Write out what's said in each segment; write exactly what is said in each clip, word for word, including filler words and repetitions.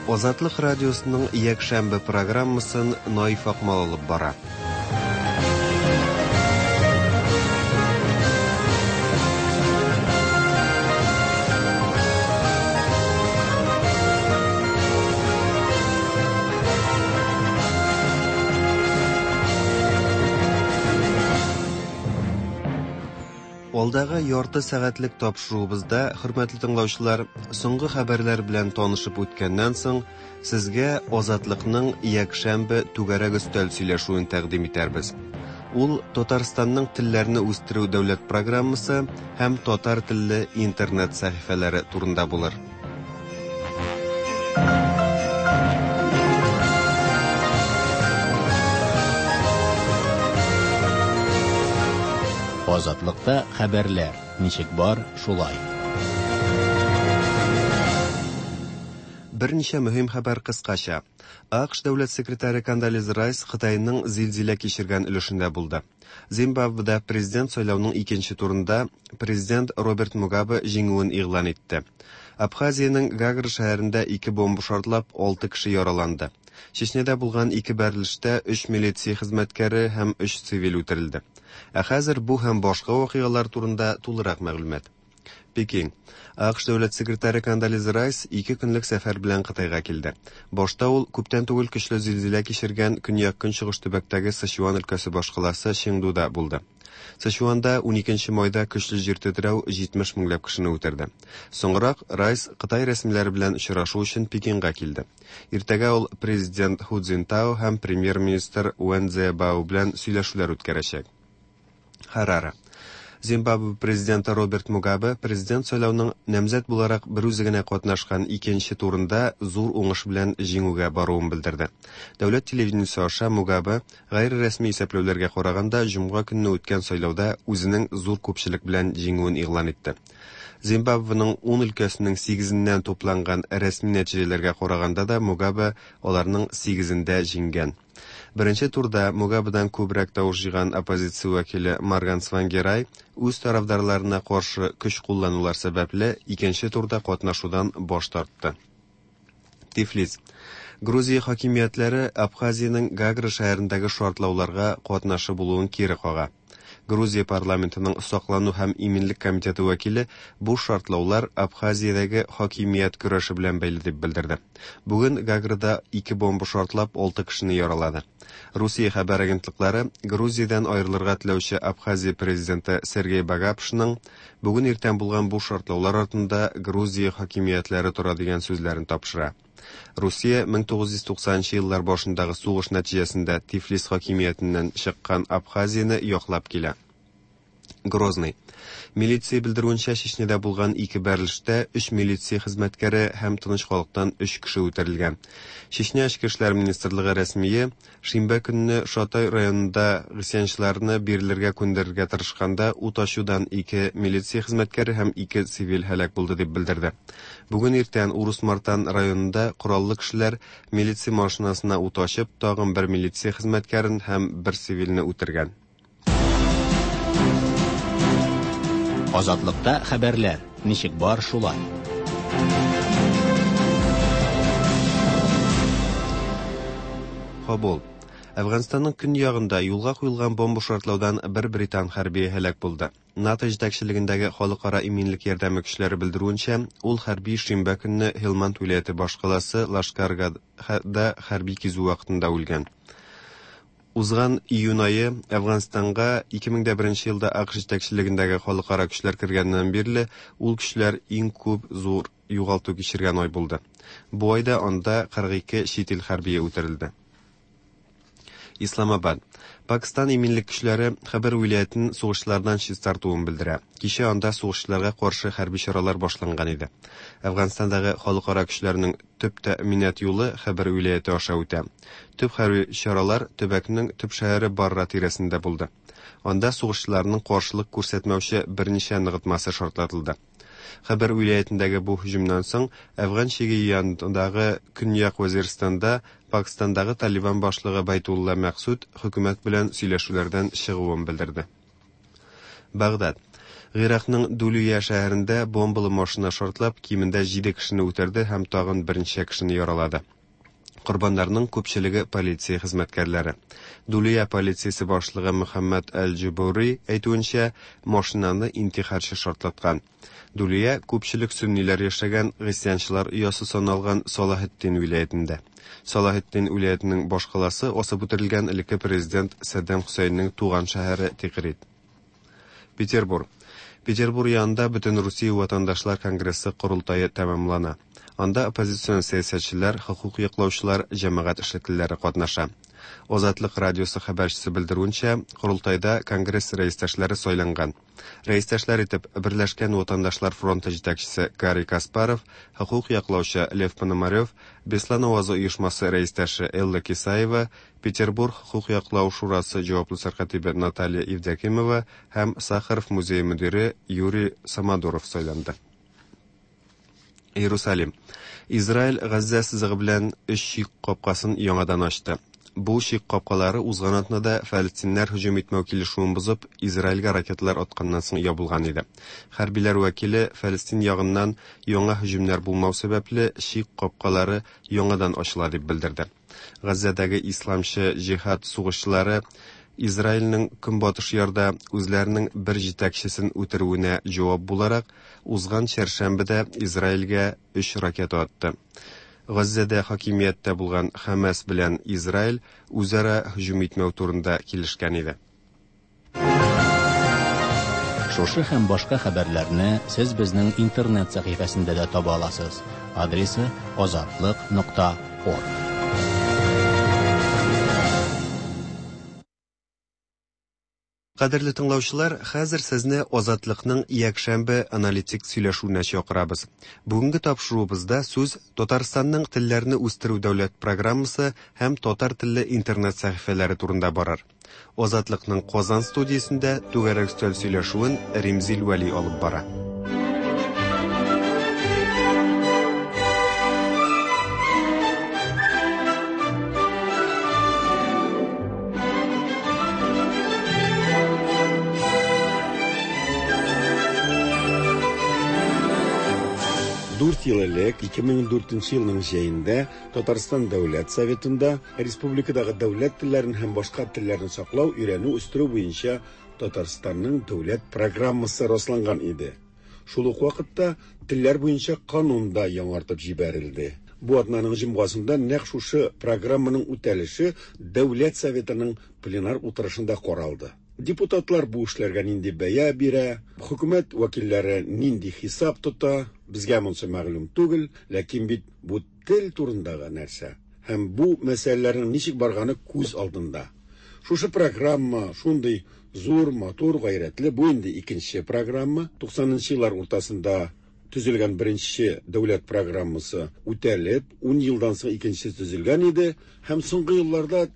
Азатлык радиосының якшәмбе программасын Наиф Акмал алып бара. Алдагы ярты сәгатьлек тапшыруыбызда, хөрмәтле тыңлаучылар, соңгы хәбәрләр белән танышып үткәннән соң, сезгә Азатлыкның якшәмбе түгәрәк өстәл сөйләшүен тәкъдим итәрбез. Ул Татарстанның телләрне үстерү дәүләт программасы һәм татар телле интернет сәхифәләре турында булыр. Азатлыкта хәбәрләр ничек бар, шулай. Берничә мөһим хәбәр кыскача. АКШ дәүләт секретаре Кондолиза Райс Кытайның зилзилә кичергән өлешендә булды. Зимбабведа президент сайлауның икенче турында президент Роберт Мугабе җиңүен игълан итте. Абхазиянең Гагра шәһәрендә ике бомба шартлап, алты кеше яраланды. Чечняда булган ике бәрелештә өч милиция хезмәткәре һәм өч цивиль үтерелде. Ә хәзер бу һәм башка вакыйгалар турында тулырак мәгълүмат. Пекин. АКШ дәүләт секретаре Кондолиза Райс ике көнлек сәфәр белән Кытайга килде. Башта ул күптән түгел көчле зилзилә кичергән көньяк-көнчыгыш төбәктәге Сычуан өлкәсе башкаласы Чеңдуда булды. Сычуанда уникенче майда көчле җир тетрәү җитмеш меңләп кешене үтерде. Соңрак Райс Кытай рәсмиләре белән очрашу өчен Пекинга килде. Иртәгә ул президент Ху Цзиньтао һәм премьер-министр Вэн Цзэбао белән сөйләшүләр үткәрәчәк. Хараре. Зимбабве президенты Роберт Мугабе президент сайлауның намзәт буларак бер үзе генә катнашкан икенче турында зур уңыш белән җиңүгә баруын белдерде. Дәүләт телевидениесе аша Мугабе гайре рәсми исәпләүләргә караганда җомга көнне үткән сайлауда үзенең зур күпчелек белән җиңүен игълан итте. Зимбабвеның ун өлкәсенең сигезеннән тупланган рәсми нәтиҗәләргә караганда да Мугабе аларның сигезендә җиңгән. Беренче турда Мугабедан күбрәк тавыш җыйган оппозиция вәкиле Морган Цвангирай үз тарафдарларына каршы көч кулланулар сәбәпле икенче турда катнашудан баш тартты. Тифлис. Грузия хакимиятләре Абхазиянең Гагра шәһәрендәге шартлауларга катнашы булуын кире кага. Грузия парламентының саклану һәм иминлек комитеты вәкиле бу шартлаулар Абхазиядәге хакимият көрәше белән бәйле дип белдерде. Бүген Гаграда ике бомба шартлап алты кешене яралады. Русия хәбәр агентлыклары Грузиядән аерылырга теләүче Абхазия президенты Сергей Багапшның бүген иртән булган бу шартлаулар артында Грузия хакимиятләре тора дигән сүзләрен тапшыра. Русия мең тугыз йөз туксанынчы еллар башындагы сугыш нәтиҗәсендә Тифлис хакимиятеннән чыккан Абхазияне яклап килә. Грозный. Милиция белдерүенчә, Чечняда булган ике бәрелештә өч милиция хезмәткәре һәм тыныч халыктан өч кеше үтерелгән. Чечня Эчке эшләр министрлыгы рәсмие шимбә көнне Шатай районында гыйсьянчыларны бирелергә күндерергә тырышканда ут ачудан ике милиция хезмәткәре һәм ике цивиль һәлак булды дип белдерде. Бүген иртән Урус-Мартан районында кораллы кешеләр милиция машинасына ут ачып, тагын бер милиция хезмәткәрен һәм бер цивильне үтергән. Азатлыкта хәбәрләр ничек бар, шулай. Кабул. Әфганстанның көньягында юлга куелган бомба шартлаудан бер британ хәрбие һәлак булды. НАТО җитәкчелегендәге халыкара иминлек ярдәме көчләре белдерүенчә, ул хәрби шимбә көнне Һилманд вилаяте башкаласы Лашкаргада хәрби кизү вакытында үлгән. Узган июнь ае Әфганстанга ике мең дә беренче елда АКШ җитәкчелегендәге халыкара көчләр кергәннән бирле ул көчләр иң күп зур югалту кичергән ай булды. Бу айда анда кырык ике чит ил хәрбие үтерелде. Исламабад. Пакистан иминлек көчләре Хәбәр вилаятен сугышчылардан чистартуын белдерә. Кичә анда сугышчыларга каршы хәрби чаралар башланган иде. Әфганстандагы халыкара көчләрнең төп тәэминат юлы Хәбәр вилаяте аша үтә. Төп хәрби чаралар төбәкнең төп шәһәре Барра тирәсендә булды. Анда сугышчыларның каршылык күрсәтмәүче берничә ныгытмасы шартлатылды. Хәбәр вилаятендәге бу һөҗүмнән соң Әфган чиге янындагы Көньяк Вазирстанда Пакистандагы Талибан башлыгы Байтулла Мәксуд хөкүмәт белән сөйләшүләрдән чыгуын белдерде. Багдад. Гыйракның Дулия шәһәрендә бомбалы машина шартлап, кимендә җиде кешене үтерде һәм тагын берничә кешене яралады. Корбаннарның күпчелеге полиция хезмәткәрләре. Дулия полициясе башлыгы Мөхәммәд Әл-Җубури әйтүенчә, машинаны интихарчы шартлаткан. Дулия күпчелек сөнниләр яшәгән гыйсьянчылар оясы саналган Салахетдин вилаятендә. Салахетдин вилаятының башкаласы асып үтерелгән элекке президент Саддам Хөсәйннең туган шәһәре Тикрит. Петербург. Петербург янында Бөтен Русия ватандашлар конгрессы корылтае тәмамлана. Анда оппозицион сәясәтчеләр, хокук яклаучылар, җәмәгать эшлеклеләре катнаша. Азатлык радиосы хәбәрчесе белдерүенчә, корылтайда конгресс рәистәшләре сайланган. Рәистәшләр итеп Берләшкән ватандашлар фронты җитәкчесе Гарри Каспаров, хокук яклаучы Лев Пономарев, Беслан авазы оешмасы рәистәше Элла Кисаева, Петербург хокук яклау шурасы җаваплы сәркатибе Наталья Евдокимова һәм Сахаров музее мөдире Юрий Самодуров сайланды. Иерусалим. Израиль Газзә сызыгы белән өч чик капкасын яңадан ачты. Бу чик капкалары узган атнада фәлестиннәр һөҗүм итмәү килешүен бозып, Израильгә ракеталар атканнан соң ябылган иде. Хәрбиләр вәкиле Фәлестин ягыннан яңа һөҗүмнәр булмау сәбәпле чик капкалары яңадан ачыла дип белдерде. Газзәдәге исламчы җиһад сугышчылары Израильнең көнбатыш ярда үзләренең бер җитәкчесен үтерүенә җавап буларак, узган чәршәмбедә Израильгә өч ракета атты. Газзәдә хакимияттә булган Хамас белән Израиль үзара һөҗүм итмәү турында килешкән иде. Шушы һәм башка хәбәрләрне сез безнең интернет сәхифәсендә дә таба аласыз. Адресы азатлык нокта орг. Кадерле тыңлаучылар, хәзер сезне Азатлыкның якшәмбе аналитик сөйләшүенә чакырабыз. Бүгенге тапшыруыбызда сүз Татарстанның телләрне үстерү дәүләт программасы һәм татар телле интернет сәхифәләре турында барыр. Азатлыкның Казан студиясендә түгәрәк өстәл сөйләшүен Римзил Вәли алып бара. Дүрт ел элек, ике мең дүртенче елның җәендә Татарстан Дәүләт Советында республикадагы дәүләт телләрен һәм башка телләрне саклау, өйрәнү, үстерү буенча Татарстанның дәүләт программасы расланган иде. Шул ук вакытта телләр буенча канун да яңартып җибәрелде. Бу атнаның җомгасында нәкъ шушы программаның үтәлеше Дәүләт Советының пленар утырышында каралды. Депутатлар бу эшләргә нинди бәя бирә, хөкүмәт вәкилләре нинди хисап тота, безгә монсы мәгълүм түгел, ләкин бит бу тел турындагы нәрсә һәм бу мәсьәләләрнең ничек барганы күз алдында. Шушы программа шундый зур, матур, гайрәтле, бу инде икенче программа. Туксанынчы еллар уртасында төзелгән беренче дәүләт программасы үтәлеп, ун елдан соң икенчесе төзелгән иде һәм соңгы елларда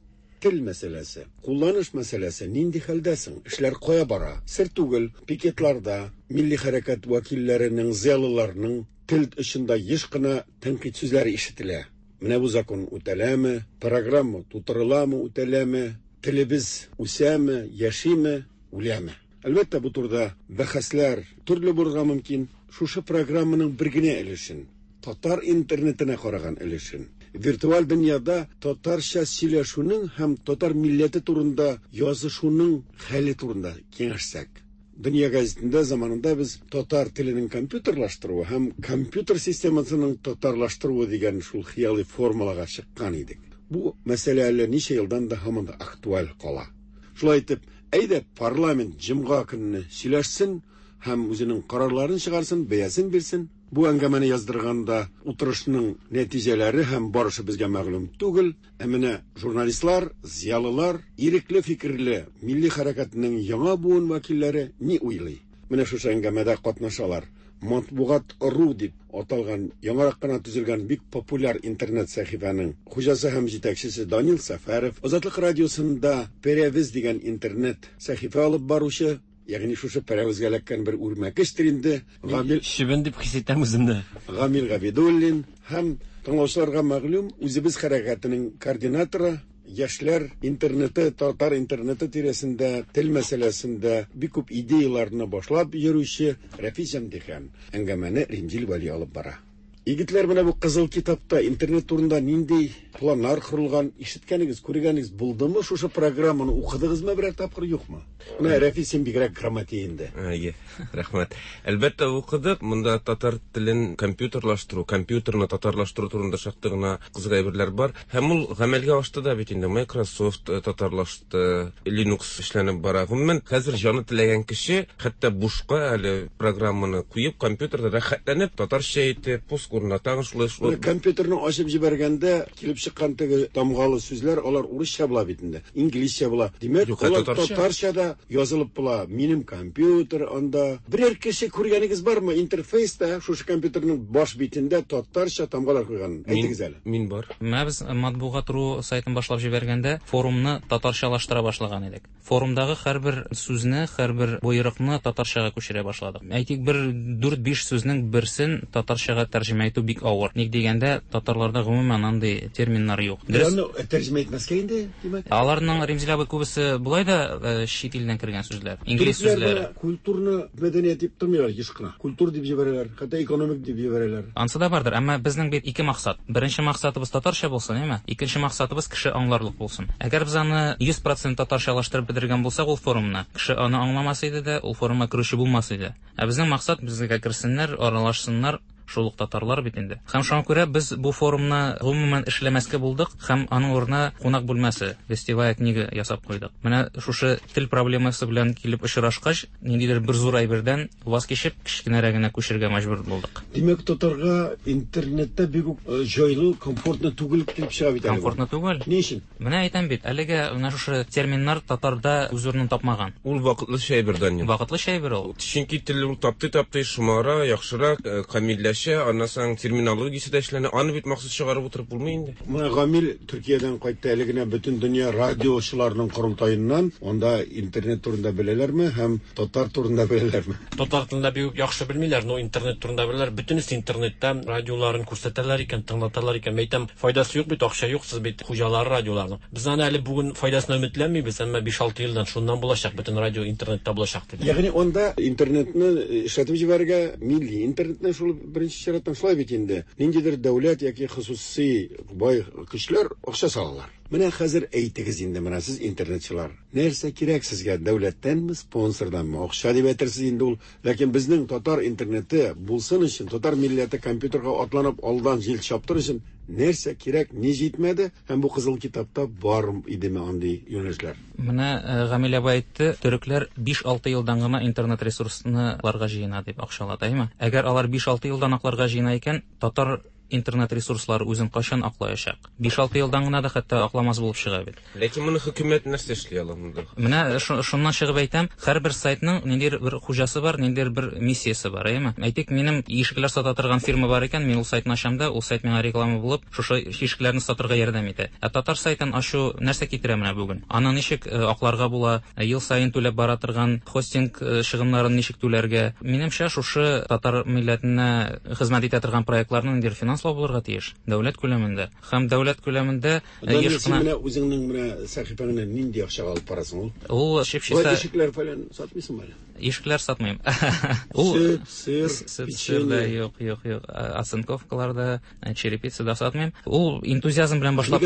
тел мәсьәләсе, кулланыш мәсьәләсе нинди хәлдә соң? Эшләр кая бара? Сер түгел, пикетларда милли хәрәкәт вәкилләренең, зыялыларның тел очында еш кына тәнкыйть сүзләре ишетелә. Менә бу закон үтәләме, программа тутырыламы, үтәләме, телебез үсәме, яшиме, үләме? Әлбәттә, бу турыда бәхәсләр төрле булырга мөмкин. Шушы программаның бер генә өлешен, татар интернетына караган өлешен, виртуаль дөньяда татарча сөйләшүнең һәм татар милләте турында язышуның хәле турында киңәшсәк. Дөнья газетында заманында без татар теленең компьютерлаштыруы һәм компьютер системасының татарлаштыруы дигән шул хыялый формулага чыккан идек. Бу мәсьәлә әллә ничә елдан да һаман да актуаль кала. Шулай итеп, әйдә парламент җомга көнне сөйләшсен һәм үзенең карарларын чыгарсын, бәясен бирсен. Бу әңгәмәне яздырганда утырышның нәтиҗәләре һәм барышы безгә мәгълүм түгел. Ә менә журналистлар, зыялылар, ирекле фикерле милли хәрәкәтнең яңа буын вәкилләре ни уйлый? Менә шушы әңгәмәдә катнашалар. Матбугат ру дип аталган яңарак кына төзелгән бик популяр интернет сәхифәнең хуҗасы һәм җитәкчесе Данил Сәфәров, Азатлык радиосында Перевез дигән интернет сәхифә алып баручы, ягъни шушы Перевезгә эләккән бер үрмәкечтер инде, Гамил Шибен дип хис итәм үземне. Гамил Габидуллин һәм тыңлаучыларга мәгълүм үзебез хәрәкәтенең координаторы, яшьләр интернеты, татар интернеты тирәсендә, тел мәсьәләсендә бик күп идеяларны башлап йөрүче Рәфис Җәмдихан. Әңгәмәне Римзил Вәли алып бара. Егетләр, менә бу кызыл китапта интернет турында нинди планнар корылган, ишеткәнегез, күргәнегез булдымы? Шушы программаны укыдыгызмы берәр тапкыр, юкмы? Менә Рәфис, син бигрәк грамотей инде. Әйе, рәхмәт. Әлбәттә укыдык. Монда татар телен компьютерлаштыру, компьютерны татарлаштыру турында шактый гына кызык әйберләр бар. Һәм ул гамәлгә ашты да бит инде. Microsoft татарлашты, Linux эшләнеп бара. Гомумән, хәзер җаны теләгән кеше хәтта бушка әле программаны куеп, компьютерда рәхәтләнеп татарча итеп пост урнатагыз шулай шулай. Компьютерны ачып җибәргәндә килеп чыккан теге тамгалы сүзләр, алар урысча була бит инде, инглизчә була. Димәк, алар татарча да язылып була. Минем компьютер анда. Берәр кеше күргәнегез бармы? Интерфейста шушы компьютерның баш битендә татарча тамгалар куйган. Әйтегез әле. Мин бар. Менә без матбугат ру сайтын башлап җибәргәндә форумны татарчалаштыра башлаган идек. Форумдагы һәрбер сүзне, һәрбер боерыкны татарчага күчерә башладык. Әйтик, бер дүрт-биш сүзнең берсен татарчага тәрҗемә итү бик авыр. Ник дигәндә, татарларда гомумән андый терминнар юк. Дөрес, тәрҗемә итмәскә инде, димәк. Аларның, Римзил абый, күбесе болай да чит илдән кергән сүзләр, инглиз сүзләре. Культурны мәдәният дип тормыйлар еш кына. Культур дип җибәрәләр, хәтта экономик дип җибәрәләр. Ансы да бардыр, әмма безнең бит ике максат. Беренче максатыбыз татарча булсын, әйме? Икенче максатыбыз кеше аңларлык булсын. Әгәр без аны йөз процент татарчалаштырып бетергән булсак, ул форумны кеше аны аңламас иде дә, ул форумга керүче булмас иде. Ә безнең максат безгә керсеннәр, аралашсыннар, шул ук татарлар бит инде. Һәм шуңа күрә без бу форумны гомумән эшләмәскә булдык һәм аның урынына кунак бүлмәсе, гостевая книга ясап куйдык. Менә шушы тел проблемасы белән килеп очрашкач, ниндидер бер зур әйбердән ваз кичеп, кечкенәрәгенә күчергә мәҗбүр булдык. Димәк, татарга интернетта бик үк җайлы, комфортно түгел килеп чыга бит әле. Комфортно түгел. Ни өчен? Менә әйтәм бит, әлегә менә шушы терминнар татарда үз урынын тапмаган. Ул вакытлыча әйбер, Данил. Вакытлыча әйбер ул. Чөнки тел ул тапты-тапты шомара, яхшырак, камилләшә, аннан соң терминологиясе дә эшләнә. Аны бит махсус чыгарып утырып булмый инде. Менә Гамил Төркиядән кайтты әле генә бөтен дөнья радиочыларының корылтаеннан. Анда интернет турында беләләрме һәм татар турында беләләрме? Татар телендә бик яхшы белмиләр, но интернет турында беләләр. Бөтенесе интернетта радиоларын күрсәтәләр икән, тыңлаталар икән. Әйтәм, файдасы юк бит, акча юк, сез бит хуҗалары радиоларның. Без аны әле бүген файдасына өметләнмибез, әмма биш-алты елдан шуннан булачак, бөтен радио интернетта булачак дип. Ягъни анда интернетны эшләтеп җибәрергә, милли интернетны шул беренче чираттан шулай бит инде. Ниндидер дәүләт яки хосусый бай көчләр акча салалар. Менә хәзер әйтегез инде, менә сез интернетчылар. Нәрсә кирәк сезгә, дәүләттәнме, спонсорданмы? Акча дип әйтерсез инде ул. Ләкин безнең татар интернеты булсын өчен, татар милләте компьютерга атланып алдан җил чаптыр өчен нәрсә кирәк, ни җитмәде? Һәм бу кызыл китапта бар идеме андый юнәлешләр? Менә Гамил абый әйтте, төрекләр биш-алты елдан гына интернет ресурсны аларга җыена дип акчалата, әйме? Әгәр алар биш-алты елдан акларга җыена икән, татар интернет ресурслары үзен кайчан аклаячак? биш-алты елдан гына да хәтта акламас булып чыга бит. Ләкин моны хөкүмәт нәрсә эшли ала монда? Менә шуннан чыгып әйтәм, һәрбер сайтның ниндидер бер хуҗасы бар, ниндидер бер миссиясе бар, әйеме? Әйтик, минем ишекләр сата торган фирма бар икән, мин ул сайтны ачам да, ул сайт миңа реклама булып, шушы ишекләрне сатырга ярдәм итә. Ә татар сайтын ачу нәрсә китерә менә бүген? Аны ничек акларга була? Ел саен түләп бара торган хостинг чыгымнарын ничек түләргә? Минемчә, шушы татар милләтенә хезмәт итә торган проектларны ниндидер финанс булырга тиеш дәүләт күләмендә. Һәм дәүләт күләмендә еш кына менә үзеңнең менә сәхифәңне нинди акчага алып барасың ул? Ул чип-чиста ишекләр фәлән сатмыйсыңмы әле? Ишекләр сатмыйм. Ул сөт, сыр, печенье. Юк, юк, юк. Оцинковкалар да, черепица да сатмыйм. Ул энтузиазм белән башлап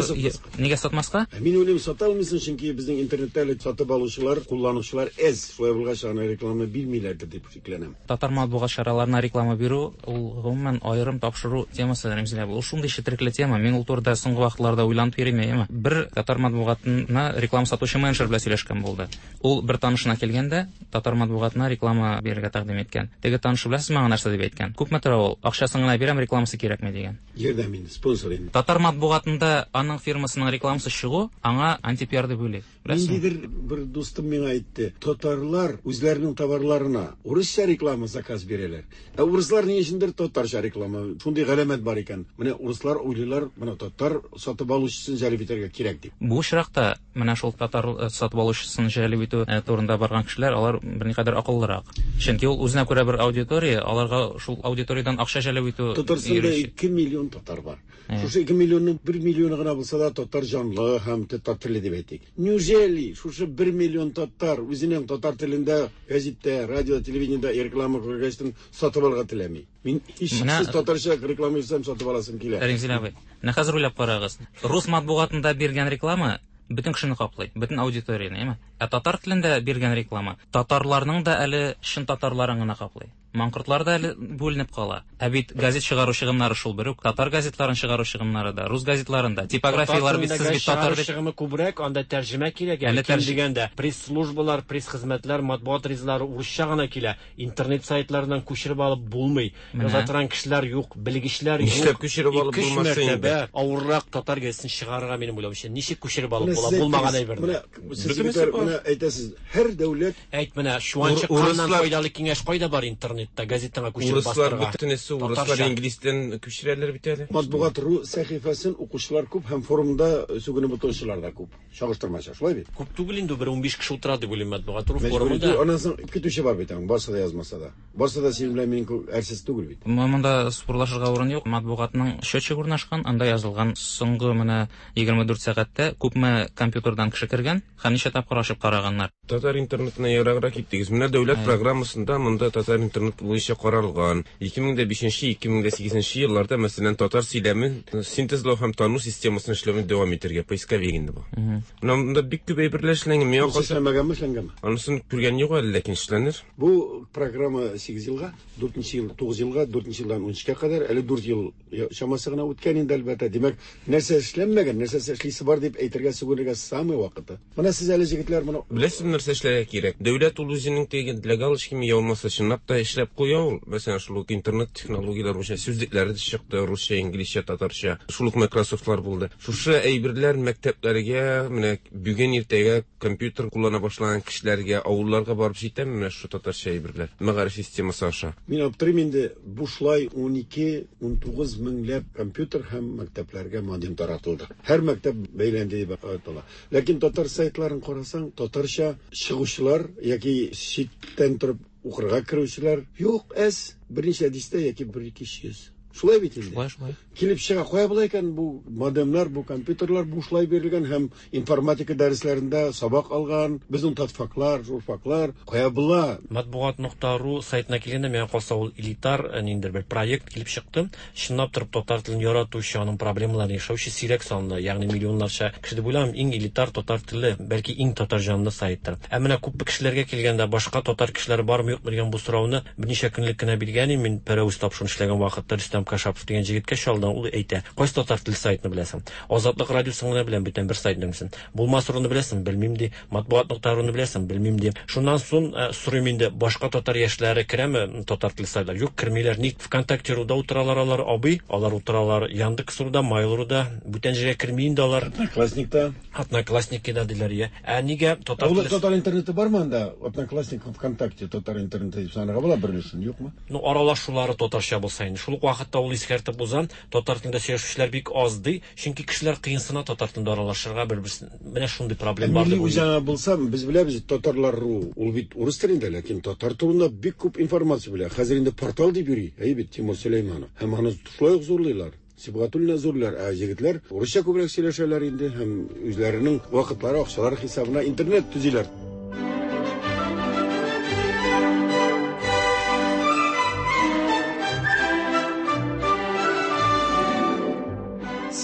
нигә сатмаска? Мин уйлыйм, сата алмыйсың, чөнки безнең интернетта әле сатып алучылар, кулланучылар әз. Шулай булгач, аны реклама бирмиләрдер дип шикләнәм. Татар матбугат чараларына реклама бирү ул гомумән аерым тапшыру темасы, Римзил абый. Ул шундый четерекле тема. Мин ул турыда соңгы вакытларда уйланып йөрим, әйеме? Бер татар матбугатына реклама сатучы менеджер белән сөйләшкән булды. Ул бер танышына килгәндә татар матбугатына реклама бирергә тәкъдим иткән. Теге танышы беләсез миңа нәрсә дип әйткән? Күпме тора ул? Акчасын гына бирәм, рекламасы кирәкми дигән. Ярдәм инде, спонсор инде. Татар матбугатында аның фирмасының рекламасы чыгу аңа антипиар дип уйлый. Ниндидер бер дустым миңа әйтте, татарлар үзләренең товарларына урысча реклама заказ бирәләр. Ә урыслар ни өчендер татарча реклама. Шундый галәмәт бар икән. Менә урыслар уйлыйлар, менә татар сатып алучысын җәлеп итәргә кирәк дип. Бу очракта менә шул татар сатып алучысын җәлеп итү турында барган кешеләр, алар берникадәр кешеләр акыллырак. Чөнки ул үзенә күрә бер аудитория, аларга шул аудиториядан акча җәлеп итү. Татарстанда ике миллион татар бар. Шушы ике миллионның бер миллионы гына булса да татар җанлы һәм татар теле дип әйтик. Неужели шушы бер миллион татар үзенең татар телендә газетта, радио, телевидениедә реклама күргәчтен сатып алырга теләми? Мин һичшиксез татарча реклама ясам сатып аласым килә. Римзил абый, менә хәзер уйлап карагыз. Рус матбугатында биргән реклама бөтен кешене каплый, бөтен аудиторияне, әйме? Ә татар телендә биргән реклама татарларның да әле чын татарларын гына каплый. Маңкортлар да әле бүленеп кала. Ә бит газет чыгару чыгымнары шул бер үк, татар газетларын чыгару чыгымнары да, рус газетларын да, типографиялар бит сез бит татар бит чыгымы күбрәк, анда тәрҗемә кирәк. Әле ким дигәндә пресс-службалар, пресс-хезмәтләр, матбугат ризлары урысча гына килә. Интернет сайтларыннан күчереп алып булмый. Яза торган кешеләр юк, белгечләр юк. Нишләп күчереп алып булмасын инде? Авыррак татар газетын чыгарырга минем уйлавымча. Ничек күчереп алып була булмаган әйберне? Менә менә әйтәсез, һәр дәүләт әйт менә чуанчыкканнан файдалы киңәш кайда бар интернет газетаңа күчереп бастырга. Урыслар бөтенесе урыслар инглиз телен күчерәләр бит әле. Матбугат ру сәхифәсен укучылар күп һәм форумда сүгенеп утыручылар да күп. Чагыштырмача, шулай бит? Күп түгел инде, бер унбиш кеше утыра дип уйлыйм матбугат ру форумында. Аннан соң көтүче бар бит, аның барсы да язмаса да. Барсы да синең белән минем әрсез түгел бит. Монда спорлашырга урын юк. Матбугатның счетчик урнашкан, анда язылган соңгы менә егерме дүрт сәгатьтә күпме компьютердан кеше кергән һәм ничә тапкыр ачып караганнар. Татар интернетына ераграк киттегез. Менә дәүләт программасында монда татар интернет буенча каралган. ике мең дә бишенче, ике мең дә сигезенче елларда, мәсәлән, татар сөйләмен синтезлау һәм тану системасын эшләүне дәвам итәргә поисковик инде бу. Менә монда бик күп әйберләр эшләнгән. Миңа калса эшләмәгәнме, эшләнгәнме? Анысын күргән юк әле, ләкин эшләнер. Бу программа сигез елга, дүртенче ел, тугыз елга, дүртенче елдан унөчкә кадәр, әле дүрт ел чамасы гына үткән инде әлбәттә. Димәк, нәрсә эшләнмәгән, нәрсә эшлисе бар дип әйтергә, сүгенергә самый вакыты. Менә сез әле җегетләр моны беләсезме, нәрсә эшләргә кирәк? Дәүләт ул үзенең теге для галочки я булмаса чынлап та эшләп куя ул. Мәсәлән, шул ук интернет технологияләр буенча сүзлекләре дә чыкты, русча, инглизчә, татарча. Шул ук Microsoftлар булды. Шушы әйберләр мәктәпләргә, менә бүген иртәгә компьютер куллана башлаган кешеләргә, авылларга барып җитәме менә шушы татарча әйберләр? Мәгариф системасы аша. Мин аптырыйм инде, бушлай ун ике, ун тугыз меңләп компьютер һәм мәктәпләргә модем таратылды. Һәр мәктәп бәйләнде дип атала. Ләкин татар сайтларын карасаң, татарча чыгучылар яки читтән торып укырга керүчеләр юк, әз, берничә дистә яки бер ике йөз. Шулай бит инде. Шулай, шулай. Килеп чыга, кая була икән бу модемнар, бу компьютерлар бушлай бирелгән һәм информатика дәресләрендә сабак алган безнең татфаклар, журфаклар кая була? Матбугат нокта ру сайтына килгәндә, миңа калса ул элитар ниндидер бер проект килеп чыкты. Чынлап торып татар телен яратучы, аның проблемаларын яшәүче сирәк санлы, ягъни миллионнарча кеше дип уйлыйм, иң элитар татар теле, бәлки иң татар җанлы сайттыр. Ә менә күп кешеләргә килгәндә, башка татар кешеләре бармы юкмы дигән бу сорауны берничә көнлек кенә биргән идем. Мин Пәрәвез тапшыруын эшләгән вакытта Рөстәм Кашапов дигән җегеткә чалдым, ул әйтә: "Кайсы татар теле сайтны беләсең? Азатлык радиосын гына беләм, бүтән бер сайтны белмисең. Булмас руны беләсең, белмим ди. Матбугат нокта руны беләсең, белмим ди." Шуннан соң сорыйм инде, башка татар яшьләре керәме татар теле сайтлар? Юк, кермиләр. Ник ВКонтакте руда утыралар алар, абый, алар утыралар Яндекс руда, Mail руда, бүтән җиргә керми инде алар. Одноклассникта. Одноклассникта диләр, я. Ә нигә татар теле? Татар интернеты бармы анда? Одноклассник, ВКонтакте татар интернеты дип санарга була бер өлешен, юкмы? Ну, аралашулары татарча булса инде. Шул ук вакытта ул искәртеп уза, татар телендә сөйләшүчеләр бик аз ди, чөнки кешеләр кыенсына татар телендә аралашырга бер-берсен. Менә шундый проблем бар дип уйлыйм. Милли үзаңы булса, без беләбез, татарлар ру, ул бит урыс телендә, ләкин татар турында бик күп информация белә. Хәзер инде портал дип йөри, әй бит Тимур Сөләйманов. Һәм аны шулай ук зурлыйлар. Сибгатуллина зурлар, ә егетләр урысча күбрәк сөйләшәләр инде һәм үзләренең вакытлары, акчалары хисабына интернет төзиләр.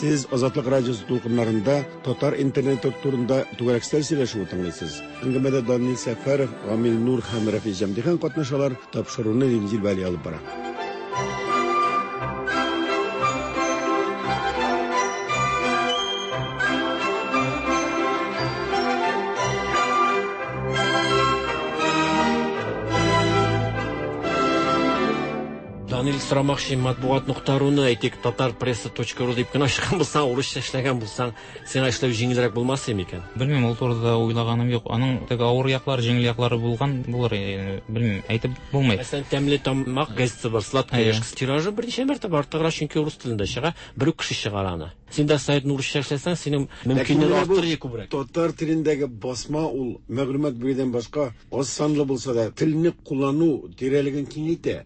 Сез Азатлык радиосы дулкыннарында татар интернеты турында түгәрәк өстәл сөйләшүе тыңлыйсыз. Әңгәмәдә Данил Сәфәров, Гамил Нур һәм Рафис Җәмдихан катнашалар. Тапшыруны Римзил Вәли алып бара. Данил сорамакчы, матбугат нокта руны әйтик, татар пресса точка ру дип кенә ачкан булсаң, урысча эшләгән булсаң, сиңа эшләү җиңелрәк булмас микән? Белмим, ул турыда уйлаганым юк. Аның теге авыр яклары, җиңел яклары булган булыр, белмим, әйтеп булмый. Мәсәлән, Тәмле тамак газетасы бар, Сладкая яшкасы тиражы берничә мәртәбә артыграк, чөнки урыс телендә чыга, бер үк кеше чыгара аны. Син дә сайтны урысча эшләсәң, синең мөмкинлеге артыр күбрәк. Татар телендәге басма ул мәгълүмат бирүдән башка аз санлы булса да, телне куллану тирәлеген киңәйтә.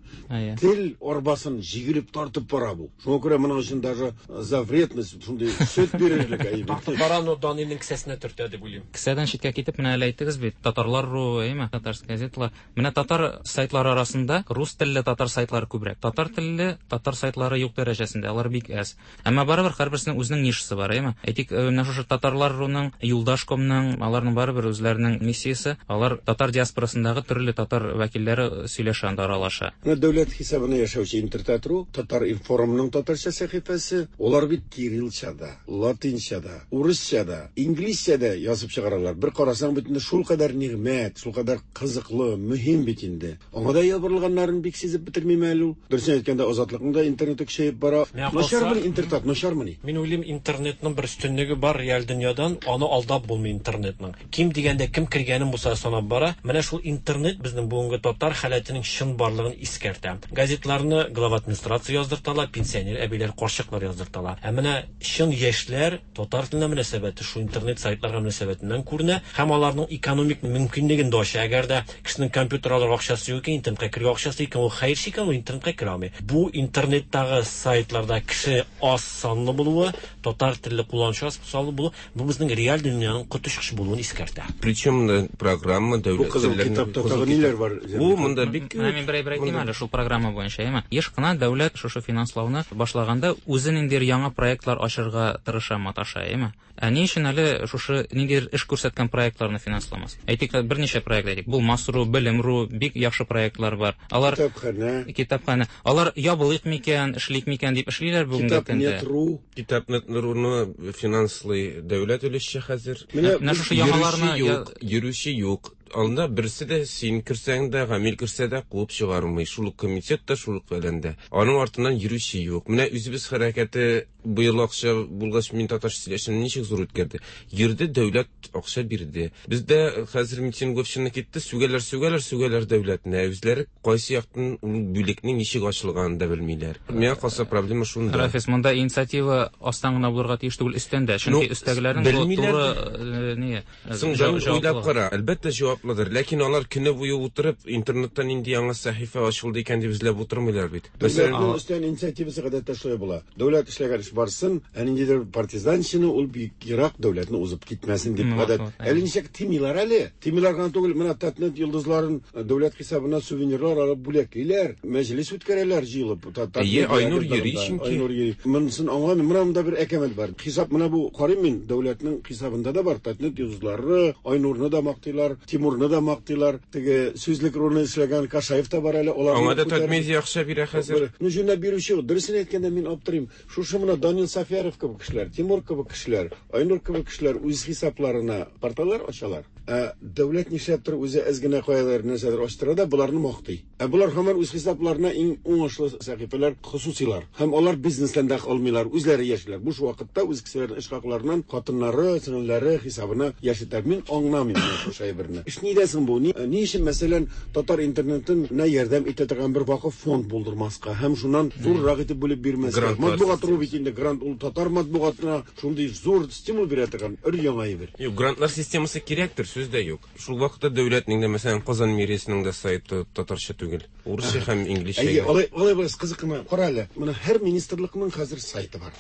Тел арбасын җигелеп тартып бара бу. Шуңа күрә моның өчен даже за вредность шундый сөт бирерлек әйбер. Тартып бара, но Данилның кесәсенә төртә дип уйлыйм. Кесәдән читкә китеп, менә әле әйттегез бит, татарлар ру, әйме, татарская газеталар. Менә татар сайтлары арасында рус телле татар сайтлары күбрәк. Татар телле татар сайтлары юк дәрәҗәсендә, алар бик әз. Әмма барыбер һәрберсенең үзенең нишасы бар, әйме? Әйтик, менә шушы татарлар руның, Юлдашкомның, аларның барыбер үзләренең миссиясе, алар татар диаспорасындагы төрле татар вәкилләре сөйләшә, анда аралаша. Менә дәүләт хисабына яшәүче Интертат.ру, Татар информның татарча сәхифәсе, алар бит кириллчада, латинчада, урысчада, инглизчәдә язып чыгаралар. Бер карасаң бит инде шулкадәр нигъмәт, шулкадәр кызыклы, мөһим бит инде. Аңа да ябырылганнарын бик сизеп бетермим әле ул. Дөресен әйткәндә, Азатлыкның да интернеты көчәеп бара. Начармыни Интертат, начармыни? Мин уйлыйм, интернетның бер өстенлеге бар реаль дөньядан, аны алдап булмый интернетның. Ким дигәндә кем кергәнен булса санап бара. Менә шул интернет безнең бүгенге татар халәтенең чын барлыгын искәртә. Газетларны глава администрация яздырталар, пенсионер әбиләр, карчыклар яздырталар. Ә менә чын яшьләр татар теленә мөнәсәбәте шул интернет сайтларга мөнәсәбәтеннән күренә һәм аларның экономик мөмкинлеген дә ача. Әгәр дә кешенең компьютер алырга акчасы юк икән, интернетка керергә акчасы икән, ул хәерче икән, ул интернетка керә алмый. Бу интернеттагы сайтларда кеше аз санлы булуы, татар телле кулланучы аз санлы булуы, бу безнең реаль дөньяның коточкыч булуын искәртә. Причем программа дәүләт. Бу кызыл китапта тагы ниләр бар? Бу монда бик күп. Менә мин бер әйбер әйтим әле шул программа буенча, әйме? Еш кына дәүләт шушы финанслауны башлаганда үзе ниндидер яңа проектлар ачырга тырыша, маташа, әйме? Ә ни өчен әле шушы ниндидер эш күрсәткән проектларны финансламас? Әйтик, берничә проект әйтик. Булмас.ру, Белем.ру, бик яхшы проектлар бар. Алар китапханә, китапханә. Алар ябылыйк микән, эшлик микән дип эшлиләр бүгенге көндә. Китапнет.ру, Китапнет.руны финанслый дәүләт өлешчә хәзер. Менә шушы яңаларны юк, йөрүче юк. Анда берсе дә син керсәң дә, Гамил керсә дә куып чыгармый. Шул ук комитет та, шул ук фәлән дә. Аның артыннан йөрүче юк. Менә үзебез хәрәкәте быел акча булгач, мин татарча сөйләшәм, ничек зур үткәрде. Йөрде, дәүләт акча бирде. Бездә хәзер митинговщина китте, сүгәләр, сүгәләр, сүгәләр дәүләтне. Үзләре кайсы яктан ул бүлекнең ничек ачылганын да белмиләр. Миңа калса проблема шунда. Рафис, монда инициатива астан гына булырга тиеш түгел, өстән дә. Чөнки өстәгеләрнең туры ни? Соң уйлап кара. Әлбәттә җаваплыдыр. Ләкин алар көне буе утырып интернетта нинди яңа сәхифә ачылды икән дип эзләп утырмыйлар бит. Мәсәлән, өстән инициативасы гадәттә шулай була. Дәүләт эшләгән эш барсын, ә ниндидер партизанчыны ул бик ерак дәүләтне узып китмәсен дип гадәт. Әле ничек тимиләр әле? Тимиләр генә түгел, менә Татнет йолдызларын дәүләт хисабына сувенирлар алып бүләклиләр, мәҗлес үткәрәләр җыелып. Әйе, Айнур йөри чөнки. Айнур йөри. Монысын аңламыйм. Менә монда бер әкәмәт бар. Хисап менә бу карыйм мин, дәүләтнең хисабында да бар. Татнет йолдызлары, Айнурны да мактыйлар, Тимурны да мактыйлар. Теге сүзлек ролен эшләгән Кашаев та бар әле. Алар аңа да Татмедиа акча бирә хәзер. Ну, җүнләп бирүче, дөресен әйткәндә мин аптырыйм. Шушы менә Данил Сафяров кебек кешеләр, Тимур кебек кешеләр, Айнур кебек кешеләр үз хисапларына порталлар ачалар. Ә дәүләт нишләптер үзе әз генә каялар нәрсәдер ачтыра да боларны мактый. Ә болар һаман үз хисапларына иң уңышлы сәхифәләр хосусилар. Һәм алар бизнестан да алмыйлар, үзләре яшиләр. Буш вакытта үз кешеләренең эш хакларыннан хатыннары, сеңелләре хисабына яшәтәләр. Мин аңламыйм шушы әйберне. Эш нидә соң бу? Ни, ни өчен мәсәлән татар интернетын на ярдәм итә торган бер вакыф фонд булдырмаска һәм шуннан зуррак итеп бүлеп бирмәскә? Матбугат ру бит инде грант ул татар матбугатына шундый зур стимул бирә торган өр яңа әйбер. Юк, грантлар системасы кирәктер, сүз дә юк. Шул вакытта дәүләтнең дә, мәсәлән, Казан мэриясенең дә сайты татарча түгел. Урысча һәм инглизчә. Әйе, алай алай булса кызык кына. Кара әле, менә һәр министрлыкның хәзер сайты бар.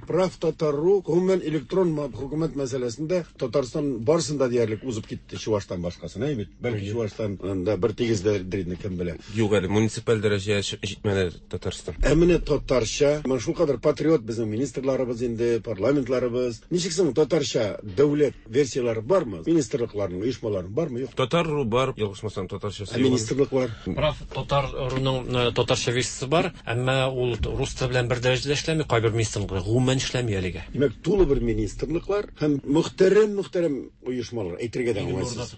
Прав татар.ру гомумән электрон хөкүмәт мәсьәләсендә Татарстан барысын да диярлек узып китте, Чувашстан башкасын, әй бит. Бәлки Чувашстан да бер тигездер инде, кем белә. Юк әле, муниципаль дәрәҗәгә җитмәде Татарстан. Ә менә татарча, менә шулкадәр патриот безнең министрларыбыз инде, парламентларыбыз. Ничек соң татарча дәүләт версияләре бармы? Министрлыкларның, оешмаларының бармы? Юк. Татар.ру бар, ялгышмасам, татарчасы. Ә министрлык бар. Прав Татар руның татарча версиясе бар, әмма ул рус теле белән бер дәрәҗәдә эшләми, кайбер министрлыклар гомумән эшләми әлегә. Димәк, тулы бер министрлыклар һәм мөхтәрәм мөхтәрәм оешмалар әйтергә дә уңайсыз.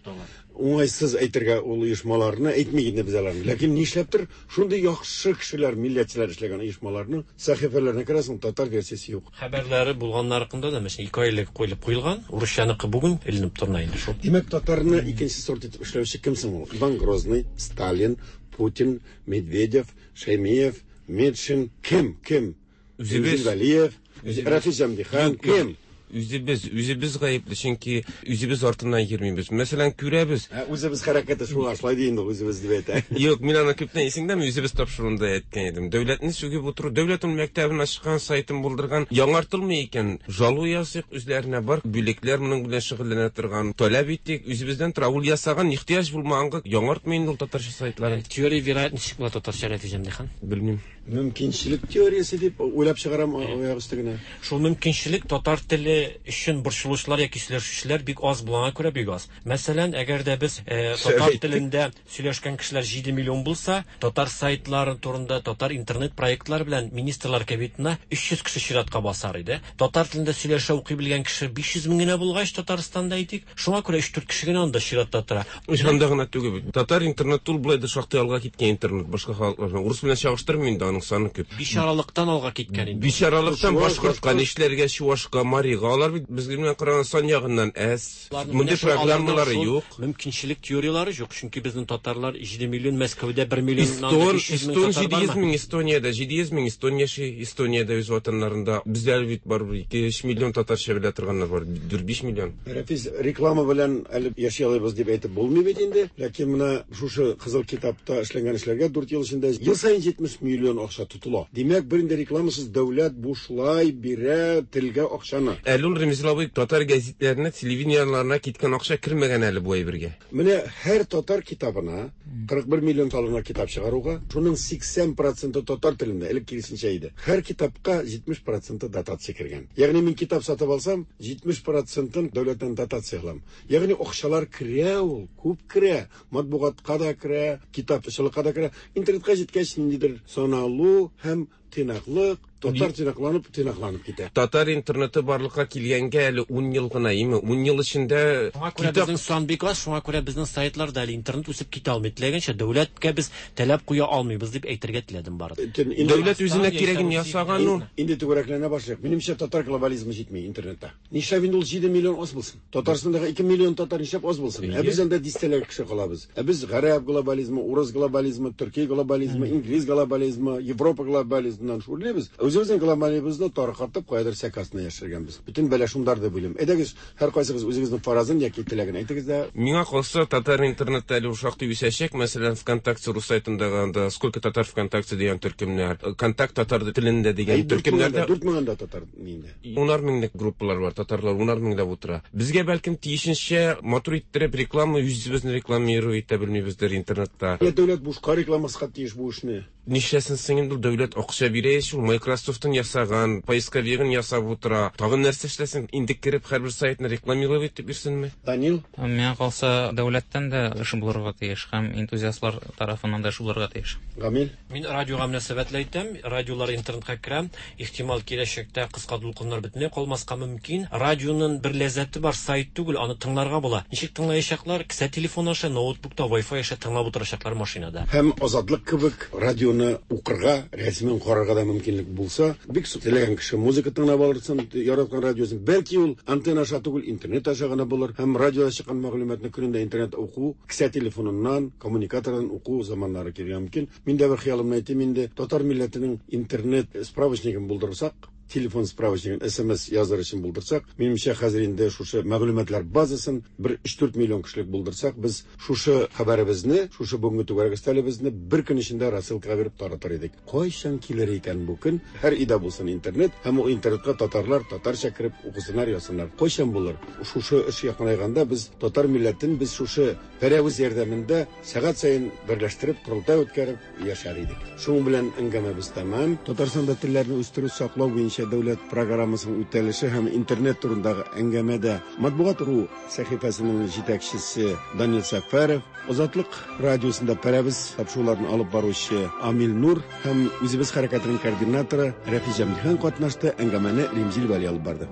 Уңайсыз әйтергә ул оешмаларны әйтми инде без аларны. Ләкин нишләптер шундый яхшы кешеләр, милләтчеләр эшләгән оешмаларның сәхифәләренә керәсең, татар версиясе юк. Хәбәрләре булганнарында да мәсәлән ике айлык куелып куелган, урысчаныкы бүген эленеп тора инде шул. Димәк, татарны икенче сорт итеп эшләүче кем соң ул? Иван Грозный, Сталин, Путин, Медведев, Шаймиев, Метшин, кем, кем? Үзебез. Валиев, Рафис Җәмдихан, кем? Үзебез, үзебез гаепле, чөнки үзебез артыннан йөрмибез. Мәсәлән, күрәбез. Ә, үзебез хәрәкәте шуңа шулай ди инде, үзебез дип әйтә. Юк, мин аны күптән исеңдәме, үзебез тапшыруында әйткән идем. Дәүләтне сүгеп утыру, дәүләт ул мәктәбен ачкан, сайтын булдырган, яңартылмый икән, жалу языйк, үзләренә бар бүлекләр моның белән шөгыльләнә торган, таләп итик, үзебездән тора. Ул ясаган ихтыяҗ булмаганга яңартмый инде ул татарча сайтларын. Теория вероятности була татарча, Рафис Җәмдихан? Белмим. Мөмкинчелек теориясе дип уйлап чыгарам аяк өсте генә. Шул мөмкинчелек татар теле өчен борчылучылар яки сөйләшүчеләр бик аз булганга күрә бик аз. Мәсәлән, әгәр дә без э, татар телендә сөйләшкән кешеләр җиде миллион булса, татар сайтлары турында, татар интернет проектлары белән министрлар кабинетына өч йөз кеше чиратка басар иде. Татар телендә сөйләшә укый белгән кеше биш йөз мең генә булгач Татарстанда әйтик, шуңа күрә өч-дүрт кеше генә анда чиратта тора. Анда гына түгел бит. Татар интернет ул болай да шактый алга киткән интернет, башка халыклардан. Урыс белән чагыштырмыйм инде, аның саны күп. Бичаралыктан алга киткән инде. Бичаралыктан башкортка, нишләргә, чуашка, марига, алар бит безгә белән караган сан ягыннан әз. Мондый программалары юк. Мөмкинчелек теориялары юк, чөнки безнең татарлар җиде миллион, Мәскәүдә бер миллионнан Эстон, биш йөз мең Эстон татар җиде йөз бармы? мең Эстониядә, җиде йөз мең эстон яши, Эстониядә үз ватаннарында. Бездә әле бит бар ике өч миллион татарча белә торганнар бар, дүрт биш миллион. Рәфис, реклама белән әле яши алабыз дип әйтеп булмый бит инде. Ләкин менә шушы кызыл китапта эшләнгән эшләргә дүрт ел эчендә ел саен җитмеш миллион акча тотыла. Димәк, бер инде рекламасыз дәүләт бушлай бирә телгә акчаны. Әле ул Ремзил абый татар гәзитләренә, телевидениеларына киткән акча кермәгән әле бу әйбергә. Менә һәр татар китабына кырык бер миллион салына китап чыгаруга, шуның сиксән проценты татар телендә, элек киресенчә иде. Һәр китапка җитмеш проценты дотация кергән. Ягъни мин китап сатып алсам, җитмеш процентын дәүләттән дотация алам. Ягъни акчалар керә ул, күп керә. Матбугатка да керә, китапчылыкка да керә. Интернетка җиткәч ниндидер саналу һәм тыйнаклык, татар тыйнакланып, тыйнакланып китә. Татар интернеты барлыкка килгәнгә әле ун ел гына, име? Ун ел эчендә Шуңа күрә китап безнең сан бик аз, шуңа күрә безнең сайтларда әле интернет үсеп китә алмый. Теләгәнчә дәүләткә без таләп куя алмыйбыз дип әйтергә теләдем бары. Инде Дәүләт үзенә кирәген ясаган ул. Инде түгәрәкләнә башлыйк. Минемчә, татар глобализмы җитми интернетта. Нишләп инде ул җиде миллион аз булсын? Татарстандагы ике миллион татар нишләп аз булсын? Ә без анда дистәләр кеше калабыз. Ә без гарәп глобализмы, урыс глобализмы, төрки глобализмы, инглиз глобализмы, Европа глобализмыннан шүрлибез. Үзебезнең глобализмыбызны таркатып, каядыр сәк астына яшергәнбез. Бөтен бәла шундар дип уйлыйм. Әйдәгез, һәр кайсыгыз үзегезнең фаразын яки теләген әйтегез дә. Миңа калса, татар интернетта әле шактый үсәчәк. Мәсәлән, ВКонтакте рус сайтындагы анда Сколько татар ВКонтакте дигән төркемнәр, Контакт татар телендә дигән Әй, дүрт мең төркемнәрдә анда, дүрт мең анда татар инде. Унар меңлек группалар бар, татарлар унар меңләп утыра. Безгә бәлкем тиешенчә матур иттереп реклама, үзебезне рекламировать итә белмибездер интернетта. Я дәүләт бушка рекламаска тиеш бу эшне. Нишләсен соң инде ул дәүләт акча бирә ич, ул Microsoft'ын ясаган, поисковигын ясап утыра. Тагын нәрсә эшләсен? Инде кереп һәрбер сайтны рекламировать итеп бирсенме? Данил? Миңа калса, дәүләттән дә эш булырга тиеш һәм энтузиастлар тарафыннан да эш булырга тиеш. Гамил? Мин радиога мөнәсәбәтле әйтәм, радиолар интернетка керә, ихтимал киләчәктә кыска дулкыннар бөтенләй калмаска мөмкин. Радионың бер ләззәте бар, сайт түгел, аны тыңларга була. Ничек тыңлаячаклар? Кесә телефон аша, ноутбукта, Wi-Fi аша тыңлап утырачаклар машинада. Һәм Азатлык кебек радионы укырга, рәсемен карарга да мөмкинлек булса, бик теләгән кеше музыка тыңлап алырсын, яраткан радиосын. Бәлки ул антенна аша түгел, интернет аша гына булыр. Һәм радиода чыккан мәгълүматны көнендә интернет уку, кесә телефоныннан, коммуникатордан уку заманнары килергә мөмкин. Мин дә бер хыялымны әйтим инде, татар милләтенең интернет справочнигын булдырсак, телефон справочнигын эс эм эс языр өчен булдырсак, минемчә хәзер инде шушы мәгълүматлар базасын бер өч-дүрт миллион кешелек булдырсак, без шушы хәбәребезне, шушы бүгенге түгәрәк өстәлебезне бер көн эчендә рассылкага биреп таратыр идек. Кайчан килер икән бу көн? Һәр өйдә булсын интернет, һәм ул интернетка татарлар татарча кереп укысыннар, язсыннар. Кайчан булыр? Шушы эш якынайганда без татар милләтен без шушы пәрәвез ярдәмендә сәгать саен берләштереп, корылтай үткәреп яшәр идек. Шуның белән әңгәмәбез тәмам. Татарстанда телләрне үстерү, саклау буенча буенча дәүләт программасының үтәлеше һәм интернет турындагы әңгәмәдә Матбугат ру сәхифәсенең җитәкчесе Данил Сәфәров, Азатлык радиосында Пәрәвез тапшыруларын алып баручы Амил Нур һәм Үзебез хәрәкәтенең координаторы Рәфис Җәмдихан катнашты. Әңгәмәне Римзил Вәли алып барды.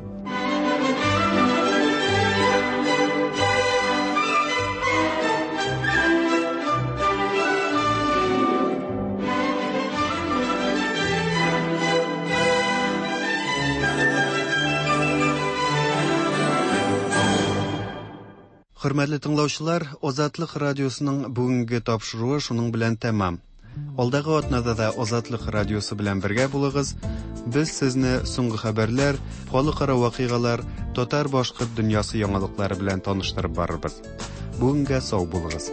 Хөрмәтле тыңлаучылар, Азатлык радиосының бүгенге тапшыруы шуның белән тәмам. Алдагы атнада да Азатлык радиосы белән бергә булыгыз. Без сезне соңгы хәбәрләр, халыкара вакыйгалар, татар-башкорт дөньясы яңалыклары белән таныштырып барырбыз. Бүгенгә сау булыгыз.